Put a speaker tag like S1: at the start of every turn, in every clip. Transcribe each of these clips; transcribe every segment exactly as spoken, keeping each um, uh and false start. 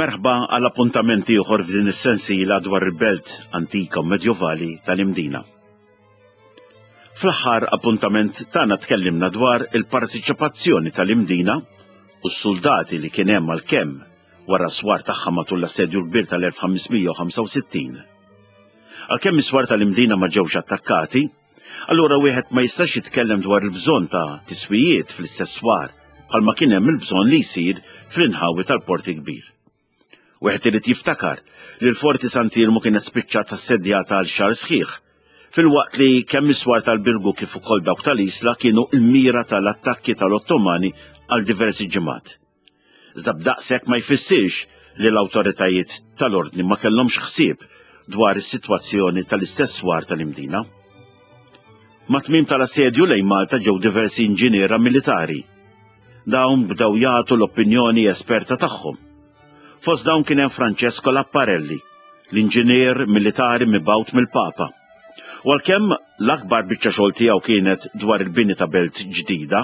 S1: Merħba għal appuntament ieħor f'din is-sensiela dwar il-belt antika u medjovali tal-Imdina. Fl-aħħar appuntament tagħna tkellimna dwar il-partiċipazzjoni tal-Imdina u s-soldati li kien hemm għalkemm wara swar tagħha matul l-assedju l-kbir tal-elf ħames mija u ħamsa u sittin. Għalkemm is-swar tal-Imdina ma ġewx attakkati, allura wieħed ma jistax jitkellem dwar il-bżonn ta' tiswijiet fl-istess swar bħalma kien hemm il-bżonn li jsir fl-inħawi tal-Port il-Kbir. Wieħed irid jiftakar li l-Forti Sant'Iermu kienet spiċċat assedjata għal xahar sħiħ, filwaqt li kemm is-swar tal-Birgu kif ukoll dawk tal-Isla kienu l-mira tal-attakki tal-Ottomani għal diversi ġimgħat. Iżda b'daqshekk ma jfissirx li l-awtoritajiet tal-ordni ma kellhomx ħsieb dwar is-sitwazzjoni tal-istess swar tal-Imdina. Mat-tmiem tal-assedju lejn Malta ġew diversi inġiniera militari. Dawn bdew jagħtu l-opinjoni esperta tagħhom. Fost dawn kien hemm Francesco Laparelli, l-inġinier militari mibgħut mill-Papa. U għalkemm l-akbar biċċa xogħol tiegħu kienet dwar il-bini ta' belt ġdida,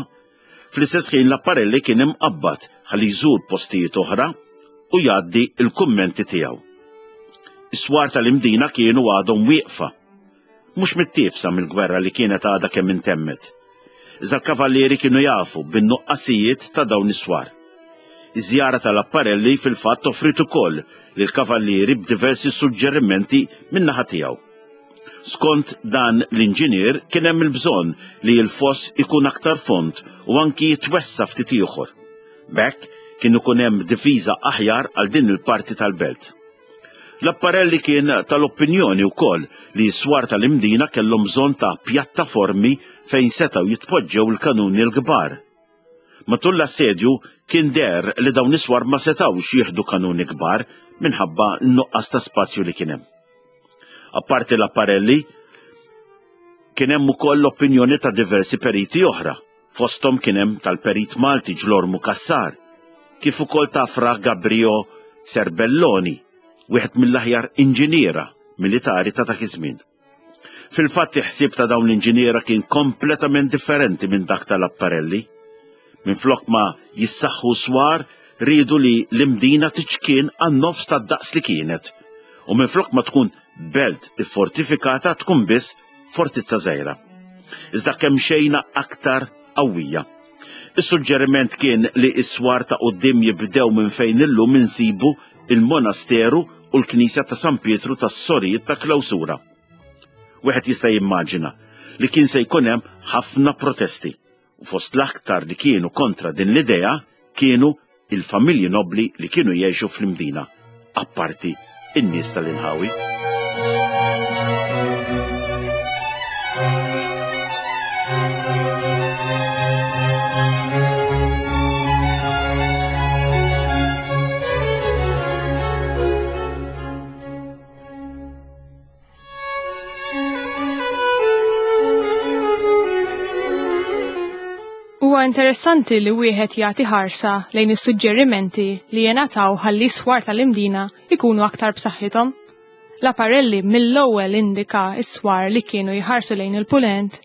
S1: fl-istess ħin Laparelli kien imqabbad ħalli jżur postijiet oħra u jgħaddi l-kummenti tiegħu. Is-swar tal-Imdina kienu għadhom wieqfa, mhux mittiefsa mill-gwerra li kienet għadha kemm intemmet. Iżda l-kavallieri kienu jafu bin-nuqqasijiet ta' dawn is-swar. Iż-żjara tal-Apparelli fil-fatt offrit ukoll lill-kavallieri b'diversi suġġerimenti min-naħa tiegħu. Skont dan l-inġinier kien hemm il-bżonn li l-foss ikun aktar fond u anki jitwessa ftit ieħor. B'hekk kien ikun hemm difiża aħjar għal din il-parti tal-belt. L-Apparelli kien tal-opinjoni wkoll li s-swar tal-Imdina kellhom bżonn ta' pjattaformi fejn setgħu jitpoġġew il-kanuni l-kbar. Matul l-assedju kien der li dawn is-swar ma setgħux jieħdu kanuni kbar minħabba n-nuqqas ta' spazju li kien hemm. Apparti l-Apparelli, kien hemm ukoll l-opinjoni ta' diversi periti oħra, fosthom kien hemm tal-perit Malti Ġlormu Cassar, kif ukoll ta' Fra Gabrio Serbelloni, wieħed mill-aħjar inġiniera militari ta' dak iż-żmien. Fil-fatt il-ħsieb ta' dawn l-inġiniera kien kompletament differenti minn dak tal-Apparelli. Minflok ma jissaħħu swar, riedu li l-Imdina tiċkien għan-nofs tad-daqs li kienet. U minflok ma tkun belt iffortifikata tkun biss fortizza żgħira. Iżda kemm xejna aktar qawwija. Is-suġġeriment kien li s-swar ta' quddiem jibdew minn fejn illum insibu il-monasteru u l-knisja ta' San Pietru tas-Sorijiet ta' Klawsura. Wieħed jista' jimmaġina li kien se jkun hemm ħafna protesti. U fost l-aktar li kienu kontra din l-idea kienu il-familji nobli li kienu jgħixu fl-Imdina, apparti in-nies tal-inħawi.
S2: Huwa interessanti li wieħed jagħti ħarsa lejn is-suġġerimenti li jingħataw ħalli s-swar tal-Imdina ikunu aktar b'saħħithom. L-Apparelli mill-ewwel indika s-swar li kienu jħarsu lejn il-punent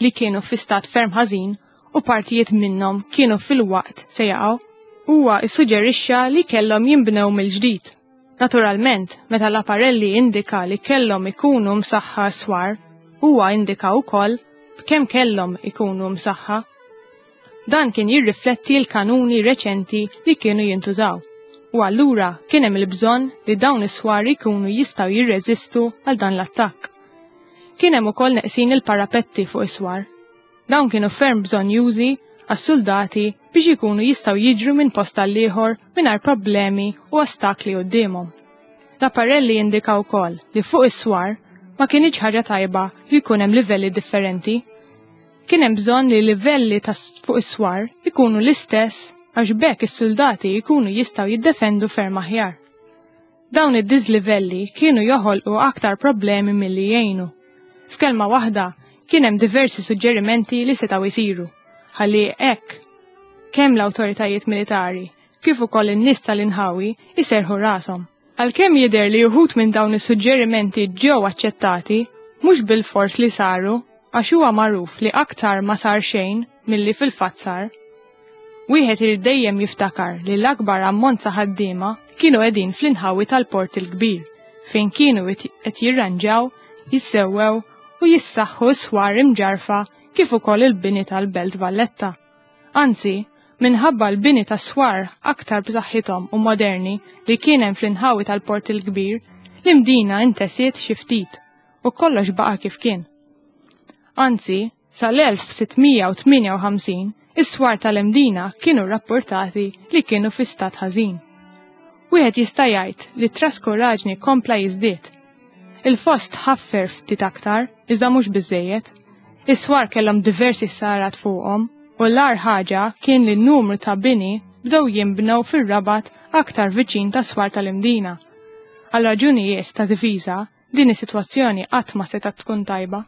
S2: li kienu fi stat ferm ħażin u partijiet minnhom kienu fil-waqt se jaqgħu. Huwa issuġġerixxa li kellhom jinbnew mill-ġdid. Naturalment, meta l-Apparelli indika li kellhom ikunu msaħħa s-swar, huwa indika wkoll b'kemm kellhom ikunu msaħħa. Dan kien jirrifletti l-kanuni reċenti li kienu jintużaw. U allura kien hemm il-bżonn li dawn is-swar ikunu jistgħu jirreżistu għal dan l-attakk. Kien hemm ukoll neqsin il-parapetti fuq is-swar. Dawn kienu ferm bżonjużi għas-soldati biex ikunu jistgħu jiġru minn post għal ieħor mingħajr problemi u ostakli quddiemhom. L-Apparelli indika wkoll li fuq is-swar ma kienx ħaġa tajba li jkun hemm livelli differenti. Kien hemm bżonn li livelli ta' fuq is-swar ikunu l-istess għax b'hekk is-soldati jkunu jistgħu jiddefendu ferm aħjar. Dawn id-dislivelli kienu joħolqu aktar problemi milli jgħinu. F'kelma waħda kien hemm diversi suġġerimenti li setgħu jsiru, ħalli hekk kemm l-awtoritajiet militari kif ukoll in-nies tal-inħawi jserħu rashom. Għalkemm jidher li uħud minn dawn is-suġġerimenti ġew aċċettati, mhux bil-fors li saru, għax huwa magħruf li aktar ma sar xejn milli fil-fatt sar. Wieħed irid dejjem jiftakar li l-akbar ammont ta' ħaddiema kienu qegħdin fl-inħawi tal-Port il-Kbir, fejn kienu qed jirranġaw, jissewwew u jissaħħu swar imġarfa kif ukoll il-bini tal-Belt Valletta. Anzi, minħabba l-bini ta' swar aktar b'saħħithom u moderni li kien hemm fl-inħawi tal-Port il-Kbir, l-Imdina intesiet xi ftit u kollox baqa' kif kien. Anzi, sal-elf sitt mija u tmienja u ħamsin is-swar tal-Imdina kienu rapportati li kienu fi stat ħażin. Wieħed jista' jgħid li t-traskuraġni kompla jiżdied. Il-fost ħaffer ftit aktar, iżda mhux biżejjed. Is-swar kellhom diversi sarat fuqhom u l-agħar ħaġa kien li n-numru ta' bini bdew jinbnew fir-Rabat aktar viċin ta' swar tal-Imdina. Għal raġunijiet ta' difiża, din is-sitwazzjoni qatt ma setgħet tkun tajba.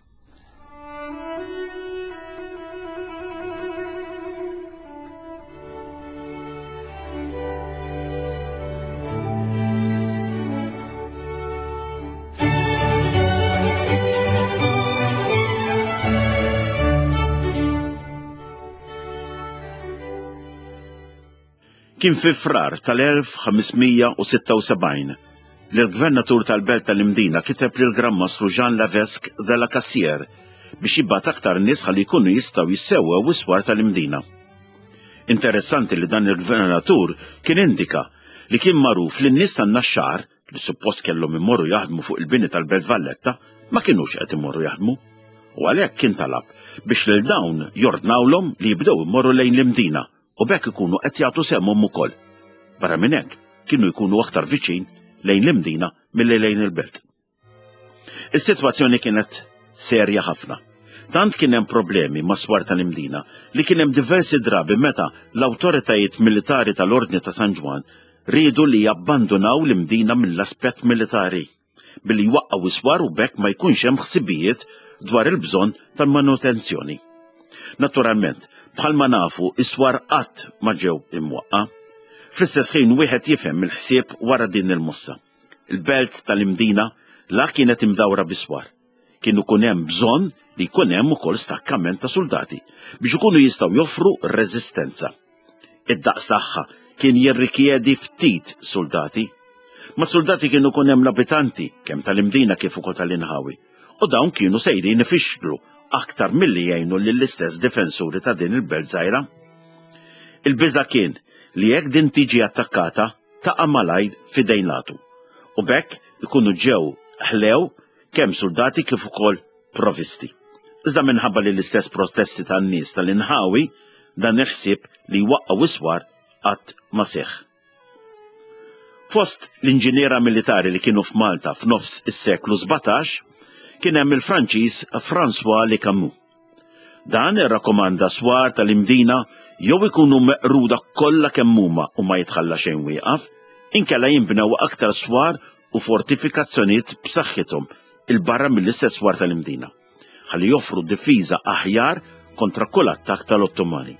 S1: Kien fi Frar tal-elf ħames mija u sitta u sebgħin li l-gvernatur tal-belt tal-Imdina kiteb lil Gran Mastru Jean Lavesque de la Cassière biex jibgħat aktar nies ħalli jkunu jistgħu jissewwew is-swar tal-Imdina. Interessanti li dan il-gvernatur kien indika li kien magħruf li n-nies tan-Naxxar li suppost kellhom imorru jaħdmu fuq il-bini tal-Belt Valletta ma kinux qed imorru jaħdmu. U għalhekk kien talab biex lil dawn jordnawlhom li jibdew imorru lejn l-Imdina u b'hekk ikunu qed jagħtu sehemhom ukoll. Barra minn hekk kienu jkunu aktar viċin lejn l-Imdina milli lejn il-belt. Is-sitwazzjoni kienet serja ħafna. Tant kien hemm problemi ma' swar tal-Imdina li kien hemm diversi drabi meta l-awtoritajiet militari tal-Ordni ta' San Ġwann riedu li jabbandunaw l-Imdina mill-aspett militari billi jwaqqgħu is-swar u b'hekk ma jkunx hemm ħsibijiet dwar il-bżonn tal-manutenzjoni. Naturalment, bħalma nafu, is-swar qatt ma ġew imwaqqa. Fl-istess ħin wieħed jifhem il-ħsieb wara din il-mossa. Il-belt tal-Imdina la kienet imdawra biswar. Kienu kun hemm bżonn li jkun hemm ukoll stakkament ta' soldati biex ikunu jistgħu joffru reżistenza. Id-daqs tagħha kien jirrikjedi ftit soldati. Ma' soldati kienu kun hemm l-abitanti kemm tal-Imdina kif ukoll tal-inħawi, u dawn kienu sejrin ifixklu aktar milli jgħinu lill-istess difensuri ta' din il-belt żgħira. Il-biża' kien li jekk din tiġi attakkata taqa' malajr f'idejn l-għadu. U b'hekk ikunu ġew ħlew kemm soldati kif ukoll provisti. Iżda minħabba li l-istess protesti tan-nies tal-inħawi dan il-ħsieb li jwaqqgħu iswar qatt ma seħħ. Fost l-inġiniera militari li kienu f'Malta f'nofs is-seklu sbatax kien hemm il-Franċiż François Le Camus. Dan irrakkomanda swar tal-Imdina jew ikunu meqruda kollha kemm huma u ma jitħalla xejn wieqaf, inkella jinbnew aktar swar u fortifikazzjonijiet b'saħħithom il-barra mill-istess swar tal-Imdina, ħalli joffru difiża aħjar kontra kull attakk tal-Ottomani.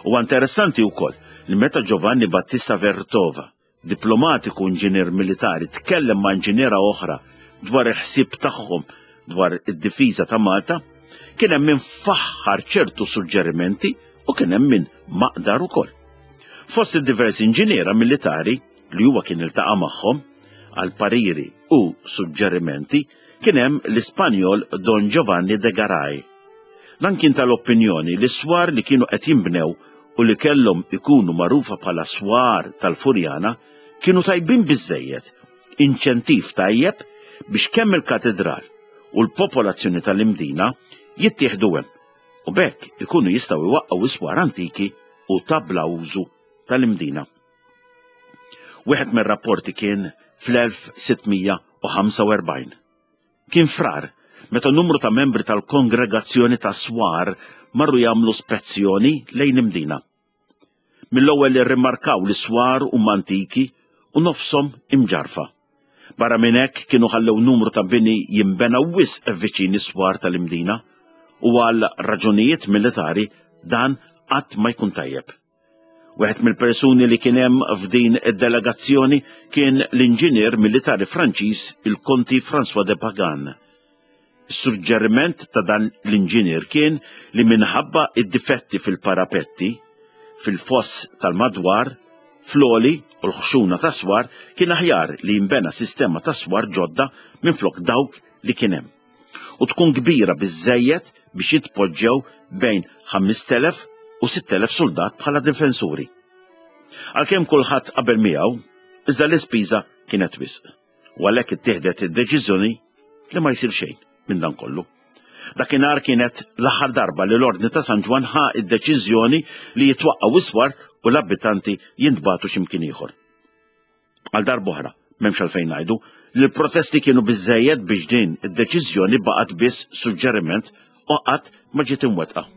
S1: Huwa interessanti wkoll li meta Giovanni Battista Vertova, diplomatiku inġinier militari, tkellem ma' inġiniera oħra dwar il-ħsieb tagħhom dwar id-difiża ta' Malta, kien hemm min faħħar ċertu suġġerimenti u kien hemm min maqdar ukoll. Fost id-diversi inġiniera militari li huwa kien iltaqa' magħhom għal pariri u suġġerimenti kien hemm l-Ispanjol Don Giovanni de Garay. Dan kien tal-opinjoni li swar li kienu qed jinbnew u li kellhom ikunu magħrufa bħala swar tal-Furjana kienu tajbin biżżejjed, inċentiv tajjeb biex kemm il-katedral u l-popolazzjoni tal-Imdina jittieħdu hemm u b'hekk ikunu jistgħu jwaqqgħu iswar antiki u tabla użu tal-Imdina. Wieħed mir-rapporti kien fl-elf sitt mija u ħamsa u erbgħin. Kien frar meta numru ta' membri tal-kongregazzjoni ta' swar marru jagħmlu spezzjoni lejn Imdina. Mill-ewwel irrimarkaw li swar huma antiki u nofshom imġarfa. Barra minn hekk kienu ħallew numru ta' bini jinbena wisq viċin is-swar tal-Imdina u għal raġunijiet militari dan qatt ma jkun tajjeb. Wieħed mill-persuni li kien hemm f'din id-delegazzjoni kien l-inġinier militari Franċiż il-Konti François de Pagan. Is-suġġeriment ta' dan l-inġinier kien li minħabba id-difetti fil-parapetti, fil-foss tal-madwar, fl-għoli u l-ħxuna ta' swar, kien aħjar li jinbena sistema ta' swar ġodda minflok dawk li kien hemm. U tkun kbira biżżejjed biex jitpoġġew bejn ħamest elef u sitt elef soldat bħala difensuri. Għalkemm kulħadd qabel miegħu, iżda l-ispiża kienet wisq. U għalhekk ittieħdet id-deċiżjoni li ma jsir xejn minn dan kollu. Dakinhar kienet l-aħħar darba li l-Ordni ta' San Ġwann ħa id-deċiżjoni li jitwaqqgħu iswar u l-abitanti jintbagħtu x'imkien ieħor. Għal darb'oħra, m'hemmx għalfejn ngħidu li l-protesti kienu biżżejjed biex din id-deċiżjoni baqgħet biss suġġeriment u qatt ma ġiet imwettqa.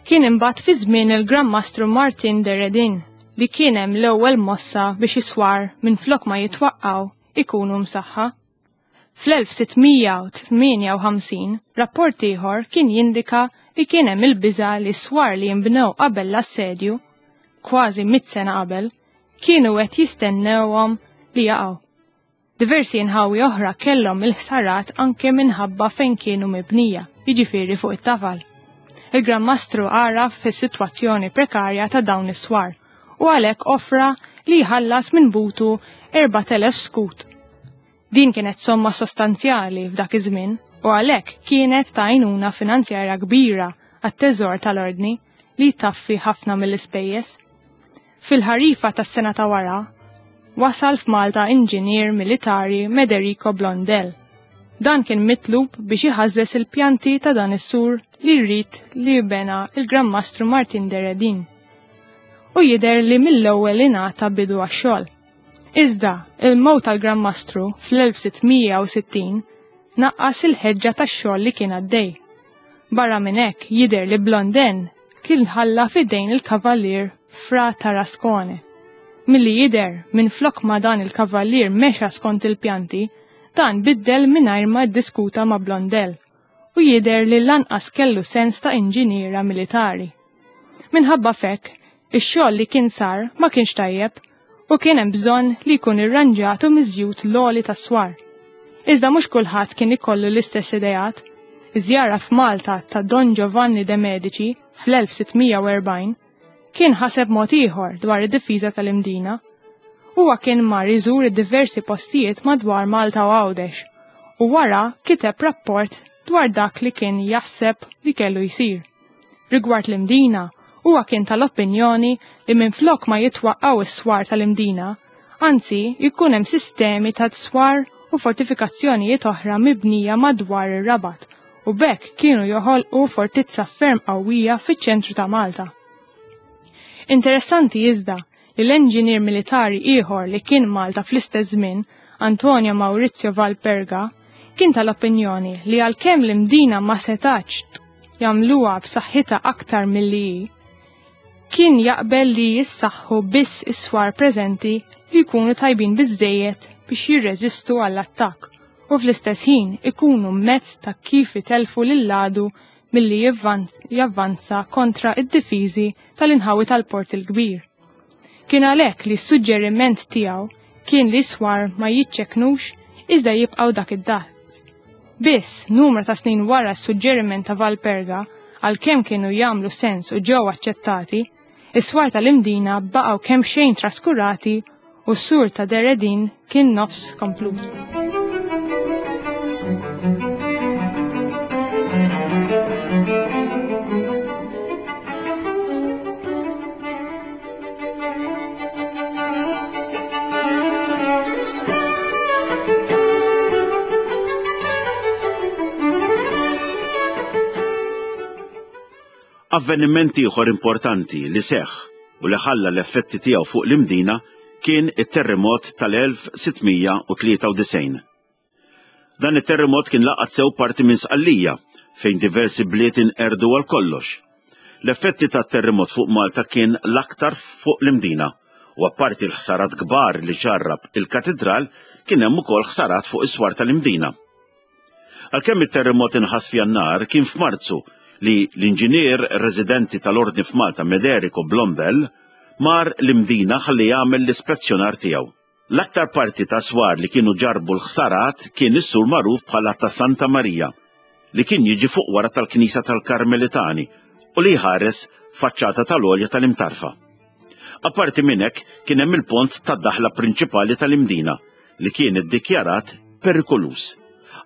S2: Kien imbagħad fi żmien il-Gran Mastru Martin de Redin li kien hemm l-ewwel mossa biex iswar minflok ma jitwaqqgħu ikunu msaħħa. Fl-elf sittmija u tmienja u ħamsin rapport ieħor kien jindika li kien hemm il-biża' li swar li jinbnew qabel l-assedju, kważi mitt sena qabel, kienu qed jistennewhom li jaqgħu. Diversi inħawi oħra kellhom il-ħsarat anke minħabba fejn kienu mibnija, jiġifieri fuq it-tafal. Il-Gran Mastru għaraf fis-sitwazzjoni prekarja ta' dawn is-swar u għalhekk offra li jħallas minn butu erbat elef skut. Din kienet somma sostanzjali f'dak iż-żmien u għalhekk kienet ta' għajnuna finanzjarja kbira għat-teżor tal-ordni li taffi ħafna mill-ispejjeż. Fil-ħarifa tas-sena ta' wara, wasal f'Malta inġinier militari Mederico Blondel. Dan kien mitlub biex iħażżes il-pjanti ta' dan is-sur li jrid li jbena il-Gran Mastru Martin de Redin. U jidher li mill-ewwel ingħata bidu għax-xogħol. Iżda, il-mewt tal-Gran Mastru fl-elf sittmija u sittin naqqas il-ħeġġa tax-xogħol li kien għaddej. Barra minn hekk jidher li Blondin kien ħalla f'idejn il-Kavallier Fra Tarascone. Milli jidher minn flok ma dan il-Kavallier mexa skont il-pjanti, dan biddel mingħajr ma ddiskuta ma' Blondel u jidher li lanqas kellu sens ta' inġiniera militari. Minħabba fekk, ix-xogħol li kien sar ma kienx tajjeb u kien hemm bżonn li jkun irranġat u miżjud l-għoli tas-swar. Iżda mhux kulħadd kien ikollu l-istess ideat. Iż-żjara f'Malta ta' Don Giovanni de Medici fl-elf sittmija u erbgħin kien ħaseb mod ieħor dwar id-difiża tal-Imdina. Huwa kien mar iżur id-diversi postijiet madwar Malta u Għawdex u wara kiteb rapport dwar dak li kien jaħseb li kellu jsir. Rigward l-Imdina, huwa kien tal-opinjoni li minflok ma jitwaqqgħu is-swar tal-Imdina, anzi jkun hemm sistemi ta' swar u fortifikazzjonijiet oħra mibnija madwar ir-Rabat u b'hekk kienu joħolqu fortizza ferm qawwija fiċ-ċentru ta' Malta. Interessanti iżda li l-enġinier militari ieħor li kien Malta fl-istess żmien, Antonio Maurizio Valperga, kien tal-opinjoni li għalkemm l-Imdina ma setax jagħmluha b'saħħitha aktar milli hi, kien jaqbel li jissaħħu biss is-swar preżenti li jkunu tajbin biżżejjed biex jirreżistu għall-attakk u fl-istess ħin ikunu mezz ta' kif itelfu lil-ladu milli javvanza kontra id-difiżi tal-inħawi tal-Port il-Kbir. Kien għalhekk li s-suġġeriment tiegħu kien li swar ma jiċċeknux iżda jibqgħu dak id-daqs. Biss numru ta' snin wara s-suġġeriment ta' Valperga, għalkemm kienu jagħmlu sens u ġew aċċettati, is-swar tal-Imdina baqgħu kemm xejn traskurati u s-sur ta' De Redin kien nofs komplut.
S1: Avveniment ieħor importanti li seħħ u li ħalla l-effetti tiegħu fuq l-Imdina kien it-terremot tal-elf sittmija u tlieta u disgħin. Dan it-terremot kien laqat sew parti minn Sqallija, fejn diversi bliet inqerdu għal kollox. L-effetti tat-terremot fuq Malta kien l-aktar fuq l-Imdina, u apparti l-ħsarat kbar li ġarrab il-katedral, kien hemm ukoll ħsarat fuq is-swar tal-Imdina. Għalkemm it-terremot inħass f'Jannar, kien f'Marzu li l-inġinier residenti tal-Ordni f'Malta Mederico Blondel mar l-Imdina ħalli jagħmel l-ispezzjonar tiegħu. L-aktar parti ta' swar li kienu ġarbu l-ħsarat kien is-sur magħruf bħala ta' Santa Marija, li kien jiġi fuq wara tal-Knisja tal-Karmelitani u li jħares faċċata tal-għolja tal-Imtarfa. Apparti minn hekk kien hemm il-pont tad-daħla prinċipali tal-Imdina li kien iddikjarat perikoluż.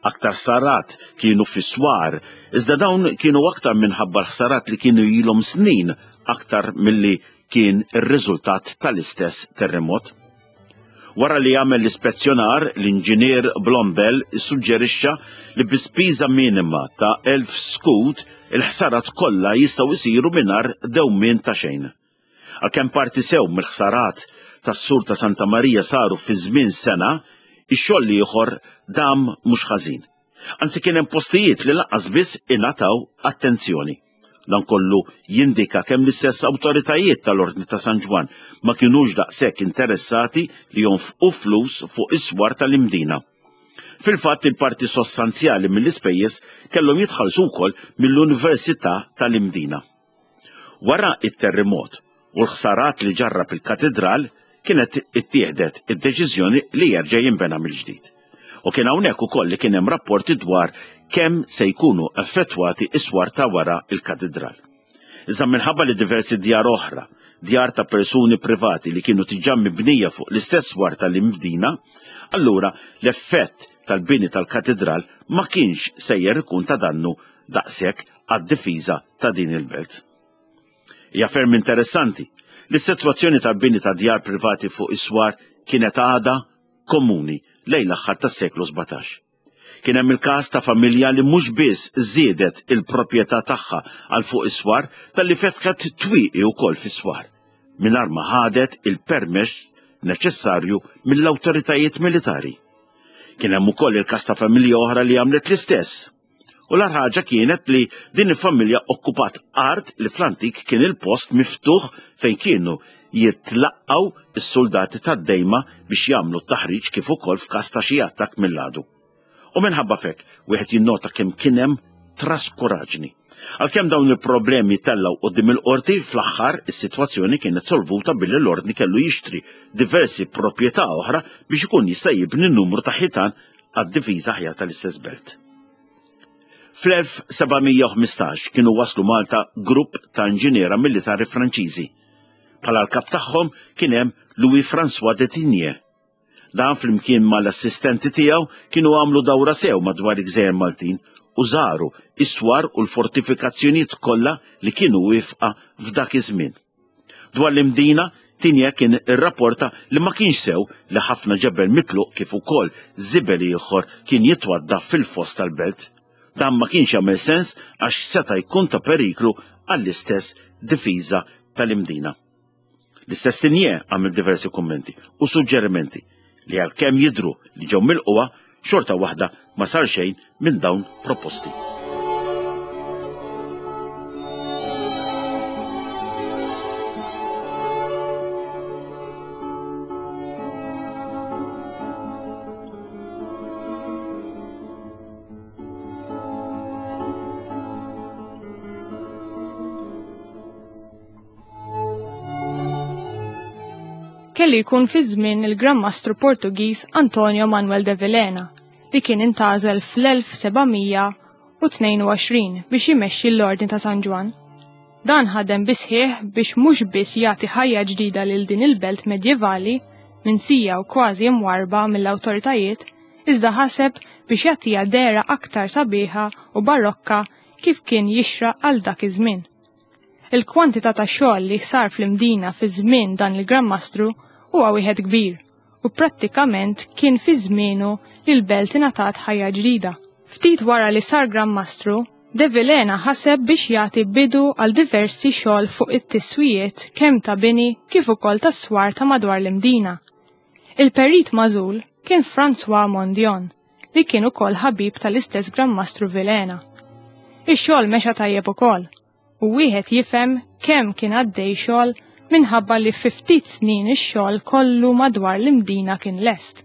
S1: Aktar ħsarat kienu fis-swar, iżda dawn kienu aktar minħabba l-ħsarat li kienu ilhom snin aktar milli kien ir-riżultat tal-istess terremot. Wara li għamel l-ispezzjonar, l-inġinier Blondel issuġġerixxa li bi spiża minima ta' elf skut il-ħsarat kollha jistgħu jsiru mingħajr dewmien ta' xejn. Għalkemm parti sew mill-ħsarat tas-sur ta' Santa Marija saru fi żmien sena, ix-xogħol ieħor dam mhux ħażin. Anzi kien hemm postijiet li lanqas biss ingħataw attenzjoni. Dan kollu jindika kemm l-istess awtoritajiet tal-Ordni ta' San Ġwann ma kinux daqshekk interessati li jonfqu flus fuq is-swar tal-Imdina. Fil-fatt il-parti sostanzjali mill-ispejjeż kellhom jitħallsu wkoll mill-Università tal-Imdina. Wara it-terremot u l-ħsarat li ġarrab il-katedral kienet ittieħdet id-deċiżjoni li jerġa' jinbena mill-ġdid. U kien hawnhekk ukoll li kien hemm rapporti dwar kemm se jkunu effettwati is-swar ta' wara il-katedral. Iżda minħabba li diversi djar oħra, djar ta' persuni privati li kienu diġà mibnija fuq l-istess swar tal-Imdina, allura l-effett tal-bini tal-katedral ma kienx sejjer ikun ta' dannu daqshekk għad-difiża ta' din il-belt. Hija ferm interessanti li s-sitwazzjoni tal-bini ta' djar privati fuq is-swar kienet għadha komuni lejn l-aħħar tas-seklu sbatax. Kien hemm il-każ ta' familja li mhux biss żiedet il-proprjetà tagħha għal fuq is-swar talli fetħet twieqi wkoll fis-swar, mingħajr ma ħadet il-permess neċessarju mill-awtoritajiet militari. Kien hemm ukoll il-każ ta' familja oħra li għamlet l-istess. U l-agħar ħaġa kienet li din il-familja okkupat art li fl-antik kien il-post miftuħ fejn kienu jitlaqgħu s-soldati tad-dejma biex jagħmlu t-taħriġ kif ukoll f'każ ta' xi attakk mill-għadu. U minħabba fek, wieħed jinnota kemm kien hemm traskuraġni. Għalkemm dawn il-problemi tellgħu quddiem il-qorti, fl-aħħar is-sitwazzjoni kienet solvuta billi l-ordni kellu jixtri diversi proprjetà oħra biex ikun jista' jibni numru ta' ħitan għad-difiża aħjar tal-istess belt. Fl-elf seba' mija u ħmistax kienu waslu Malta grupp ta' inġiniera militari Franċiżi. Bħala l-kap tagħhom kien hemm Louis François de Tigné. Dan flimkien mal-assistenti tiegħu kienu għamlu dawra sew madwar il-Gżejjer Maltin u żaru is-swar u l-fortifikazzjonijiet kollha li kienu wifqa f'dak iż-żmien. Dwar l-Imdina, Tigné kien irrapporta li ma kienx sew li ħafna ġebel mitluq kif ukoll żibel ieħor kien jitwadda fil-fost tal-belt. Dan ma kienx jagħmel sens għax seta' jkun ta' periklu għall-istess difiża tal-Imdina. L-istess Tigné għamel diversi kummenti u suġġerimenti li għalkemm jidhru li ġew milquha, xorta waħda ma sar xejn minn dawn proposti.
S2: Kellu jkun fi żmien il-Gran Mastru Portugiż Antonio Manuel de Vilhena li kien intgħażel fl-elf seba' mija u tnejn u għoxrin biex jmexxi l-Ordni ta' San Ġwann. Dan ħadem bisħieħ biex mhux biss jagħti ħajja ġdida lil din il-belt medjevali minsija u kważi mwarba mill-awtoritajiet, iżda ħaseb biex jagħtiha dehra aktar sabiħa u barokka kif kien jixraq għal dak iż-żmien. Il-kwantità ta' xogħol li sar fl-Imdina fi żmien dan il-Gran Mastru huwa wieħed kbir u prattikament kien fi żmienu li l-belt ingħatat ħajja ġdida. Ftit wara li sar Gran Mastru, De Vilhena ħaseb biex jagħti bidu għal diversi xogħol fuq it-tiswijiet kemm ta' bini kif ukoll tas-swar ta' madwar l-Imdina. Il-perit magħżul kien François Mondion, li kien ukoll ħabib tal-istess Gran Mastru Vilhena. Ix-xogħol mexa tajjeb ukoll, u wieħed jifhem kemm kien għaddej xogħol minħabba li fi ftit snin ix-xogħol kollu madwar l-Imdina kien lest.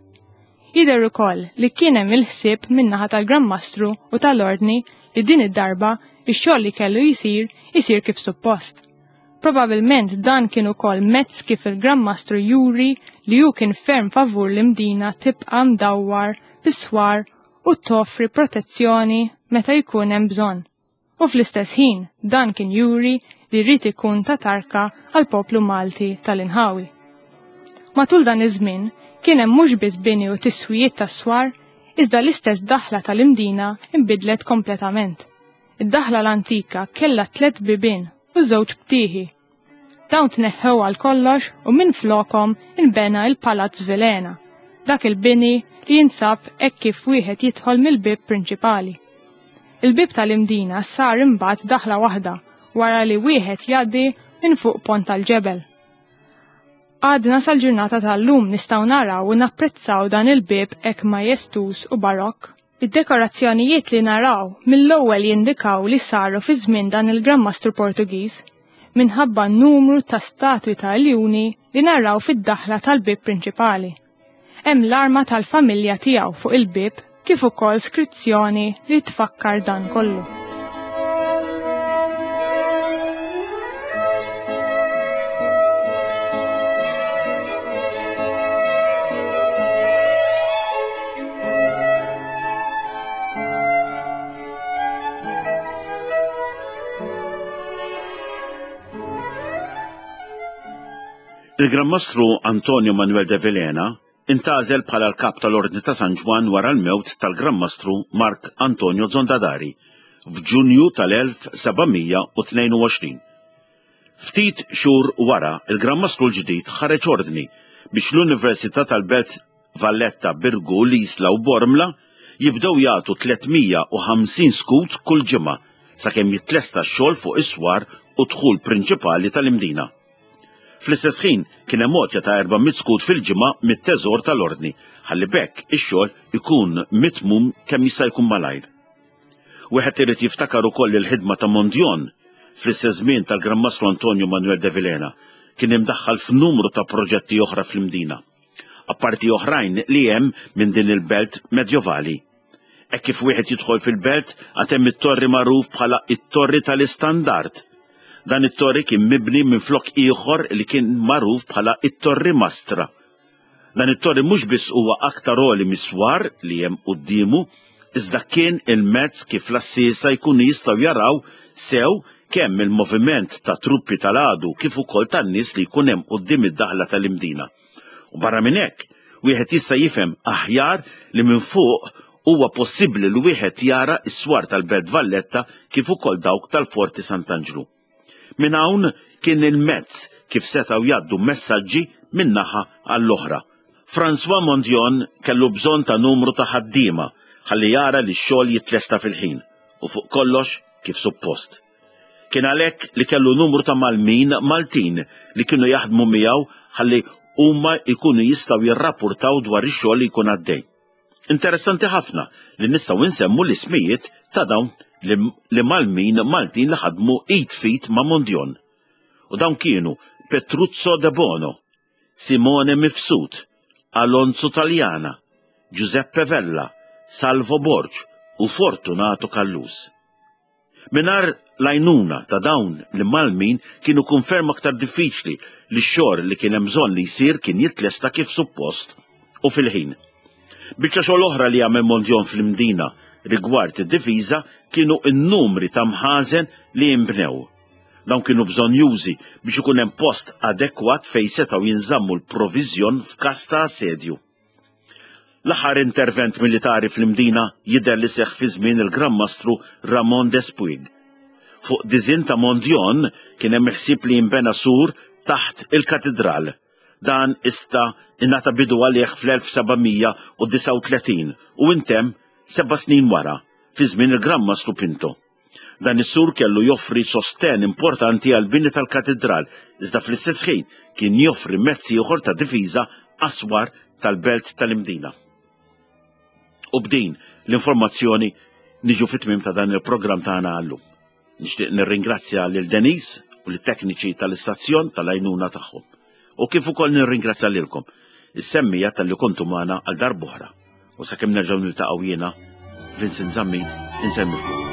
S2: Jidher ukoll li kien hemm il-ħsieb min-naħa tal-Gran Mastru u tal-Ordni li din id-darba ix-xogħol li kellu jsir isir kif suppost. Probabilment dan kien ukoll mezz kif il-Gran Mastru juri li hu kien ferm favur l-Imdina tibqa' mdawwar bis-swar u toffri protezzjoni meta jkun hemm bżonn. U fl-istess ħin dan kien juri li rrid ikun ta' tarka għal poplu Malti tal-inħawi. Matul dan iż-żmien kien hemm mhux biss bini u tiswijiet tas-swar, iżda l-istess daħla tal-Imdina inbidlet kompletament. Id-daħla l-antika kellha tliet bibien u żewġ btieħi. Dawn tneħħew għal kollox u minn flokhom inbena il-Palazz Vilhena, dak il-bini li jinsab hekk kif wieħed jidħol mill-bieb prinċipali. Il-bieb tal-Imdina sar imbagħad daħla waħda wara li wieħed jgħaddi minn fuq pont tal-ġebel. Għadna sal-ġurnata tal-lum nistgħu naraw u napprezzaw dan il-bieb hekk majestuż u barokk. Id-dekorazzjonijiet li naraw mill-ewwel jindikaw li saru fi żmien dan il-Gran Mastru Portugiż minħabba n-numru ta' statwi ta' iljuni li naraw fid-daħla tal-bieb prinċipali. Hemm l-arma tal-familja tiegħu fuq il-bieb kif ukoll skrizzjoni li tfakkar dan kollu.
S1: Il-Gran Mastru Antonio Manuel de Vilhena intgħażel bħala l-kap tal-Ordni ta' San Ġwann wara l-mewt tal-Gran Mastru Mark Antonio Zondadari f'Ġunju tal-elf seba' mija u tnejn u għoxrin. Ftit xhur wara, il-Gran Mastru l-ġdid ħareġ ordni biex l-Università tal-Belt Valletta, Birgu, L-Isla u Bormla jibdew jagħtu tliet mija u ħamsin skut kull ġimgħa sakemm jitlesta x-xogħol fuq is-swar u dħul prinċipali tal-Imdina. Fl-istess ħin kien hemm għotja ta' erba' mitt skut fil-ġimgħa mit-teżor tal-Ordni, ħalli b'hekk ix-xogħol ikun mitmum kemm jista' jkun malajr. Wieħed irid jiftakar ukoll il-ħidma ta' Mondion fl-istess żmien tal-Gran Mastru Antonio Manuel de Vilhena kien imdaħħal f'numru ta' proġetti oħra fl-Imdina, apparti oħrajn li hemm minn din il-belt medjovali. Hekk kif wieħed jidħol fil-belt għad hemm it-torri magħruf bħala it-Torri tal-Istandard. Dan it-torri kien mibni minn flok ieħor li kien magħruf bħala it-Torri Mastra. Dan it-torri mhux biss huwa aktar għoli miswar li hemm quddiemu, iżda kien il-mezz kif l-assisa jkunu jistgħu jaraw sew kemm il-moviment ta' truppi tal-għadu kif ukoll tan-nies li jkun hemm quddiem id-daħla tal-Imdina. U barra minn hekk, wieħed jista' jifhem aħjar li minn fuq huwa possibbli li wieħed jara s-swar tal-Belt Valletta kif ukoll dawk tal-Forti Sant'Anġlu. Minn hawn kien il-mezz kif setgħu jgħaddu messaġġi minn naħa għall-oħra. François Mondion kellu bżonn ta' numru ta' ħaddiema ħalli jara li x-xogħol jitlesta fil-ħin u fuq kollox kif suppost. Kien għalhekk li kellu numru ta' Malmin Maltin li kienu jaħdmu miegħu ħalli huma jkunu jistgħu jirrapportaw dwar ix-xogħol li jkun għaddej. Interessanti ħafna li nistgħu nsemmu l-ismijiet ta' dawn li Malmin Maltin li ħadmu id fit ma' Mondion. U dawn kienu Petruzzo de Bono, Simone Mifsud, Alonso Taljana, Giuseppe Vella, Salvo Borg u Fortunato Callus. Minar l-għajnuna ta' dawn li Malmin kienu konferma aktar diffiċli li x-xogħol li kien hemm bżonn li jsir kien jitlesta kif suppost u fil-ħin. Biċċa xogħol oħra li għamel Mondion fl-Imdina rigward id-difiża kienu n-numri ta' mħażen li jinbnew. Dawn kienu bżonjużi biex ikun hemm post adekwat fejn setgħu jinżammu l-proviżjon f'każ ta' assedju. L-aħħar intervent militari fl-Imdina jidher li seħħ fi żmien il-Gran Mastru Ramon Despuig. Fuq diżinn ta' Mondion kien hemm ħsieb li jinbena sur taħt il-katedral. Dan ista ingħata bidu għalih fl-elf seba' mija u disgħa u tletin u intemm seba' snin wara, fi żmien il-Gran Mastru Pinto. Dan is-sur kellu joffri sosten importanti għal bini tal-katedral, iżda fl-istess ħin kien joffri mezzi ieħor ta' difiża aswar tal-belt tal-Imdina. U b'din l-informazzjoni niġu fit-tmiem ta' dan il-programm tagħna għallum. Nixtieq nirringrazzja lil Denise u lit-tekniċi tal-istazzjon tal-għajnuna tagħhom. U kif ukoll nirringrazzja lilkom is-semmija talli kontu magħna għal darb'oħra. U sakemm nerġgħu niltaqgħu jiena, Vincent Zammit, insellmilkom.